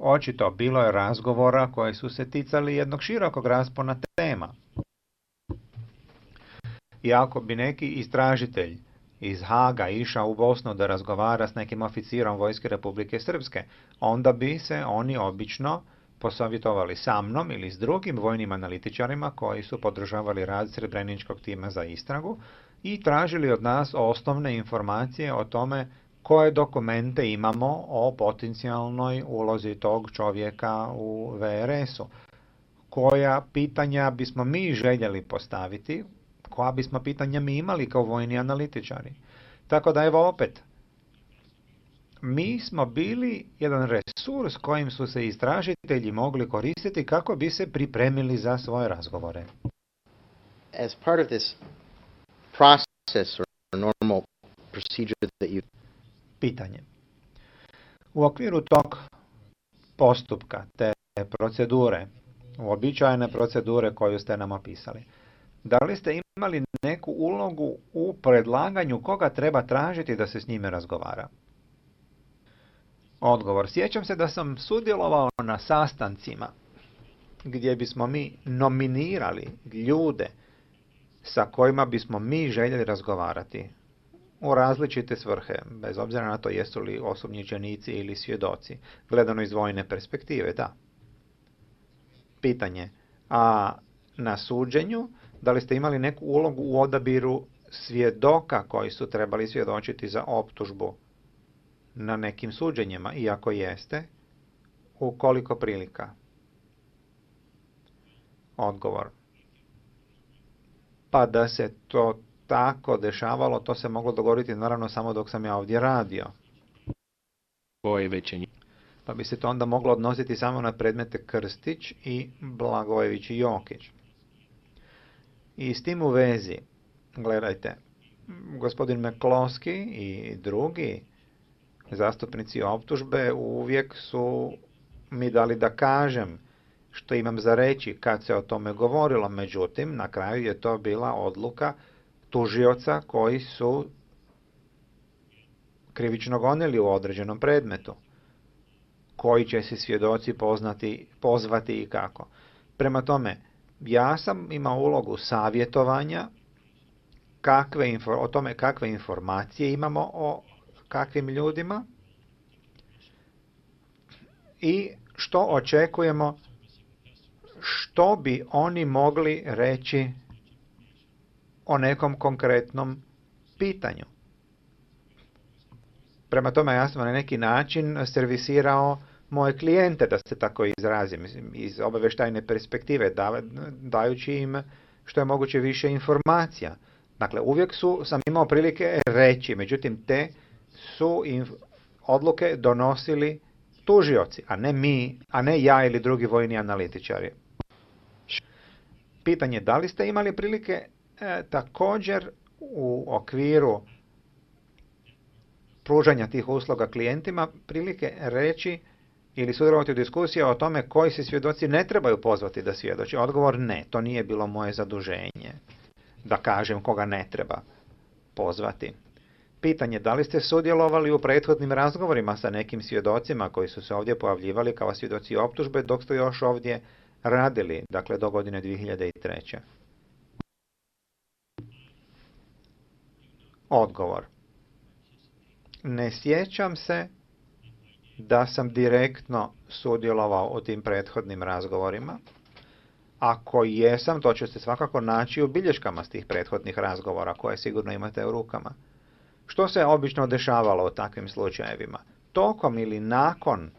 Očito bilo je razgovora koji su se ticali jednog širokog raspona tema. I ako bi neki istražitelj iz Haga išao u Bosnu da razgovara s nekim oficirom Vojske Republike Srpske, onda bi se oni obično posavjetovali sa mnom ili s drugim vojnim analitičarima koji su podržavali rad Srebreničkog tima za istragu i tražili od nas osnovne informacije o tome koje dokumente imamo o potencijalnoj ulozi tog čovjeka u VRS-u, koja pitanja bismo mi željeli postaviti, koja bismo pitanja mi imali kao vojni analitičari. Tako da evo opet, mi smo bili jedan resurs kojim su se istražitelji mogli koristiti kako bi se pripremili za svoje razgovore. As part of this process or normal procedure that you... Pitanje. U okviru tog postupka, te procedure, uobičajene procedure koju ste nam opisali, da li ste imali neku ulogu u predlaganju koga treba tražiti da se s njime razgovara? Odgovor. Sjećam se da sam sudjelovao na sastancima gdje bismo mi nominirali ljude sa kojima bismo mi željeli razgovarati u različite svrhe, bez obzira na to jesu li osumnjičenici ili svjedoci, gledano iz vojne perspektive, da. Pitanje. A na suđenju, da li ste imali neku ulogu u odabiru svjedoka koji su trebali svjedočiti za optužbu na nekim suđenjima, i ako jeste, u koliko prilika? Odgovor. Pa da se to tako dešavalo, to se moglo dogoditi naravno samo dok sam ja ovdje radio. Pa bi se to onda moglo odnositi samo na predmete Krstić i Blagojević i Jokić. I s tim u vezi, gledajte, gospodin McCloskey i drugi zastupnici optužbe uvijek su mi dali da kažem što imam za reći kad se o tome govorilo. Međutim, na kraju je to bila odluka tužioca koji su krivično gonili u određenom predmetu. Koji će se svjedoci pozvati i kako. Prema tome, ja sam imao ulogu savjetovanja o tome kakve informacije imamo o kakvim ljudima i što očekujemo, što bi oni mogli reći o nekom konkretnom pitanju. Prema tome, ja sam na neki način servisirao moje klijente, da se tako izrazim, iz obavještajne perspektive, dajući im što je moguće više informacija. Dakle, uvijek sam imao prilike reći, međutim, te su odluke donosili tužioci, a ne mi, a ne ja ili drugi vojni analitičari. Pitanje, da li ste imali prilike također u okviru pružanja tih usluga klijentima prilike reći ili sudjelovati u diskusiji o tome koji se svjedoci ne trebaju pozvati da svjedoči? Odgovor ne, to nije bilo moje zaduženje da kažem koga ne treba pozvati. Pitanje, da li ste sudjelovali u prethodnim razgovorima sa nekim svjedocima koji su se ovdje pojavljivali kao svjedoci optužbe dok ste još ovdje radili, dakle do godine 2003. Odgovor. Ne sjećam se da sam direktno sudjelovao u tim prethodnim razgovorima. Ako jesam, to će se svakako naći u bilješkama s tih prethodnih razgovora koje sigurno imate u rukama. Što se obično dešavalo u takvim slučajevima? Tokom ili nakon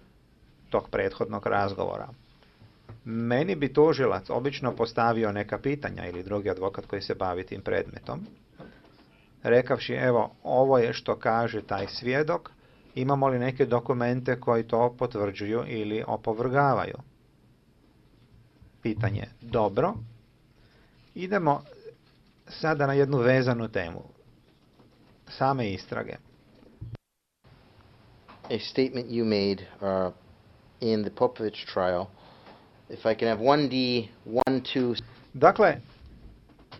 tog prethodnog razgovora, meni bi tužilac obično postavio neka pitanja ili drugi advokat koji se bavi tim predmetom, rekavši, evo, ovo je što kaže taj svjedok, imamo li neke dokumente koji to potvrđuju ili opovrgavaju? Pitanje, dobro. Idemo sada na jednu vezanu temu. Same istrage. A statement you made in the Popović trial. If I can have 1D, 1-2... Dakle,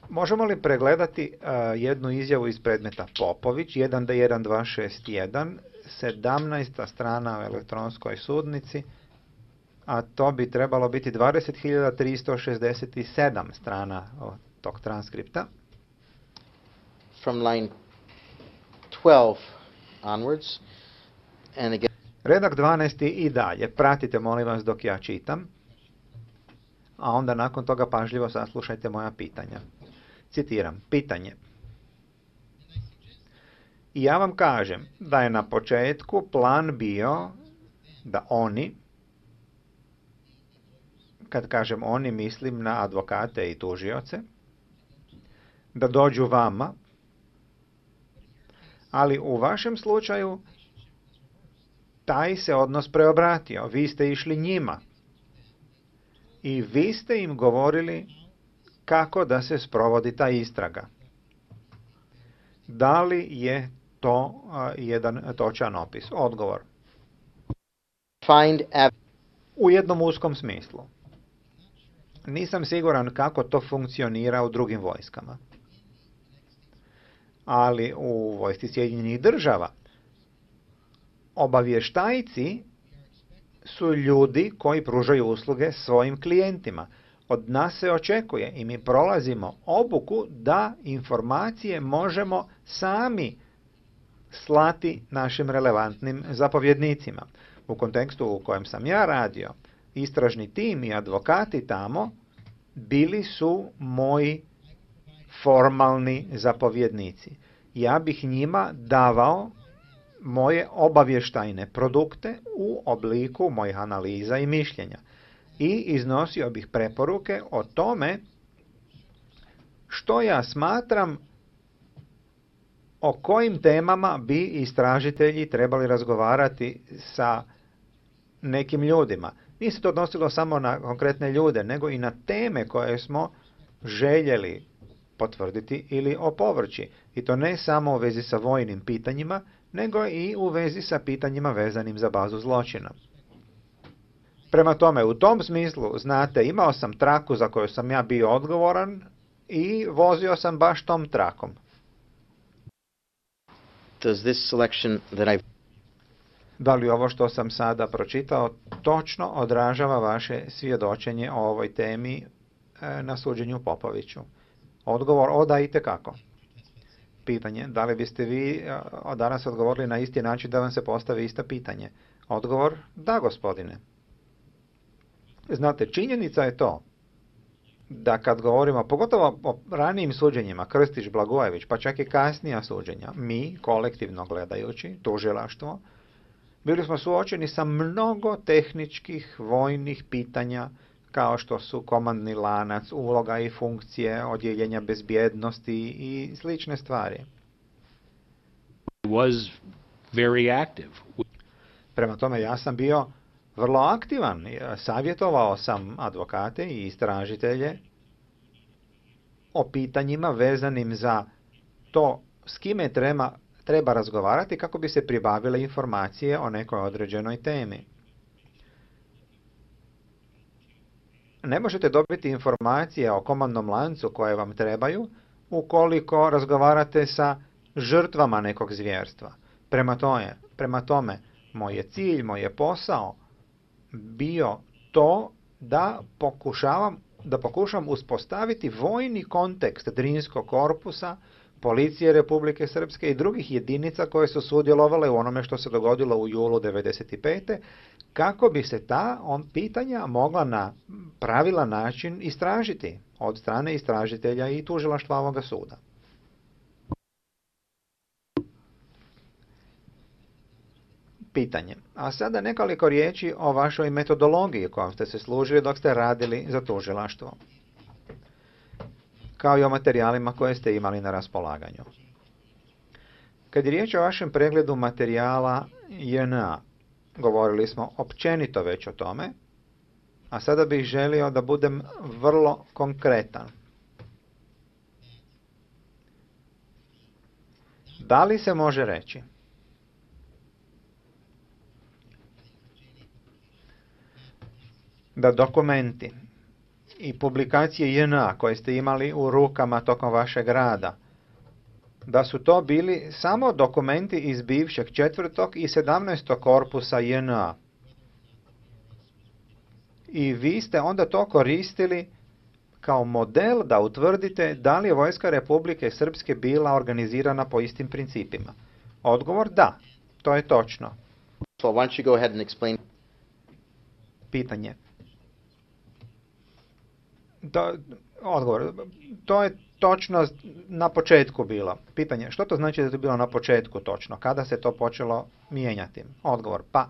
možemo li pregledati jednu izjavu iz predmeta Popović, 1D1261, 17. strana u elektronskoj sudnici, a to bi trebalo biti 20.367 strana tog transkripta. From line 12 onwards, and again, Redak 12. i dalje. Pratite, molim vas, dok ja čitam, a onda nakon toga pažljivo saslušajte moja pitanja. Citiram, pitanje. I ja vam kažem da je na početku plan bio da oni, kad kažem oni, mislim na advokate i tužioce, da dođu vama, ali u vašem slučaju taj se odnos preobratio. Vi ste išli njima i vi ste im govorili kako da se sprovodi ta istraga. Da li je to jedan točan opis? Odgovor. U jednom uskom smislu. Nisam siguran kako to funkcionira u drugim vojskama. Ali u vojsci Sjedinjenih Država obavještajci su ljudi koji pružaju usluge svojim klijentima. Od nas se očekuje i mi prolazimo obuku da informacije možemo sami slati našim relevantnim zapovjednicima. U kontekstu u kojem sam ja radio, istražni tim i advokati tamo bili su moji formalni zapovjednici. Ja bih njima davao moje obavještajne produkte u obliku mojih analiza i mišljenja i iznosio bih preporuke o tome što ja smatram o kojim temama bi istražitelji trebali razgovarati sa nekim ljudima. Nije se to odnosilo samo na konkretne ljude, nego i na teme koje smo željeli potvrditi ili opovrći. I to ne samo u vezi sa vojnim pitanjima, nego i u vezi sa pitanjima vezanim za bazu zločina. Prema tome, u tom smislu, znate, imao sam traku za koju sam ja bio odgovoran i vozio sam baš tom trakom. Da li ovo što sam sada pročitao točno odražava vaše svjedočenje o ovoj temi na suđenju Popoviću? Odgovor, da, itekako. Pitanje, da li biste vi danas odgovorili na isti način da vam se postavi isto pitanje? Odgovor, da, gospodine. Znate, činjenica je to da kad govorimo, pogotovo o ranijim suđenjima, Krstić, Blagojević, pa čak i kasnija suđenja, mi, kolektivno gledajući, tužilaštvo, bili smo suočeni sa mnogo tehničkih vojnih pitanja, kao što su komandni lanac, uloga i funkcije, odjeljenja bezbjednosti i slične stvari. Was very active. Prema tome, ja sam bio vrlo aktivan. Savjetovao sam advokate i istražitelje o pitanjima vezanim za to s kime treba razgovarati kako bi se pribavile informacije o nekoj određenoj temi. Ne možete dobiti informacije o komandnom lancu koje vam trebaju ukoliko razgovarate sa žrtvama nekog zvjerstva. Prema tome, moj je cilj, moj je posao bio to da pokušam uspostaviti vojni kontekst Drinskog korpusa, policije Republike Srpske i drugih jedinica koje su sudjelovale u onome što se dogodilo u julu 1995. kako bi se ta pitanja mogla na pravilan način istražiti od strane istražitelja i tužilaštva ovoga suda. Pitanje. A sada nekoliko riječi o vašoj metodologiji kojom ste se služili dok ste radili za tužilaštvo, kao i o materijalima koje ste imali na raspolaganju. Kad je riječ o vašem pregledu materijala JNA, govorili smo općenito već o tome, a sada bih želio da budem vrlo konkretan. Da li se može reći da dokumenti i publikacije JNA koje ste imali u rukama tokom vašeg rada, da su to bili samo dokumenti iz bivšeg 4. i 17. korpusa JNA? i vi ste onda to koristili kao model da utvrdite da li je vojska Republike Srpske bila organizirana po istim principima. Odgovor da, to je točno. So why don't you go ahead and explain? Pitanje. Odgovor. To je točno na početku bilo. Pitanje, što to znači da je to bilo na početku točno? Kada se to počelo mijenjati? Odgovor, pa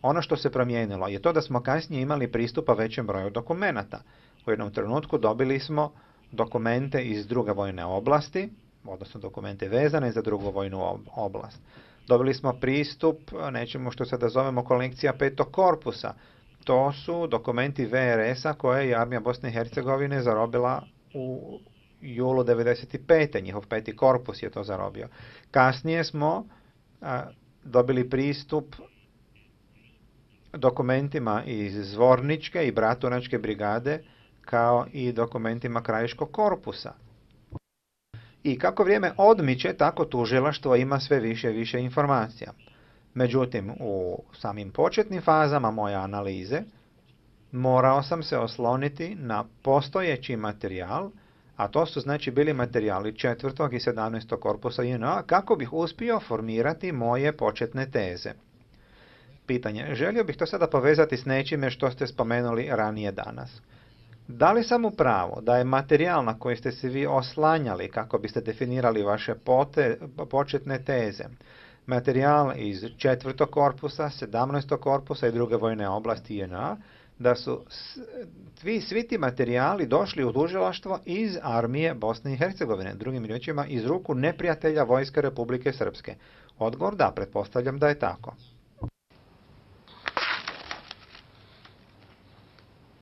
ono što se promijenilo je to da smo kasnije imali pristupa većem broju dokumenata. U jednom trenutku dobili smo dokumente iz druge vojne oblasti, odnosno dokumente vezane za drugu vojnu oblast. Dobili smo pristup nečemu što se da zovemo kolekcija petog korpusa. To su dokumenti VRS-a koje je armija Bosne i Hercegovine zarobila u julu 95. Njihov peti korpus je to zarobio. Kasnije smo dobili pristup dokumentima iz Zvorničke i Bratunačke brigade, kao i dokumentima Krajiškog korpusa. I kako vrijeme odmiče, tako tužilaštvo ima sve više i više informacija. Međutim, u samim početnim fazama moje analize morao sam se osloniti na postojeći materijal, a to su znači bili materijali 4. i 17. korpusa JNA, kako bih uspio formirati moje početne teze. Pitanje, želio bih to sada povezati s nečime što ste spomenuli ranije danas. Da li sam u pravu da je materijal na koji ste se vi oslanjali kako biste definirali vaše početne teze, materijal iz 4. korpusa, 17. korpusa i druge vojne oblasti JNA, da su svi ti materijali došli u tužilaštvo iz armije Bosne i Hercegovine, drugim riječima iz ruku neprijatelja vojske Republike Srpske? Odgovor da, pretpostavljam da je tako.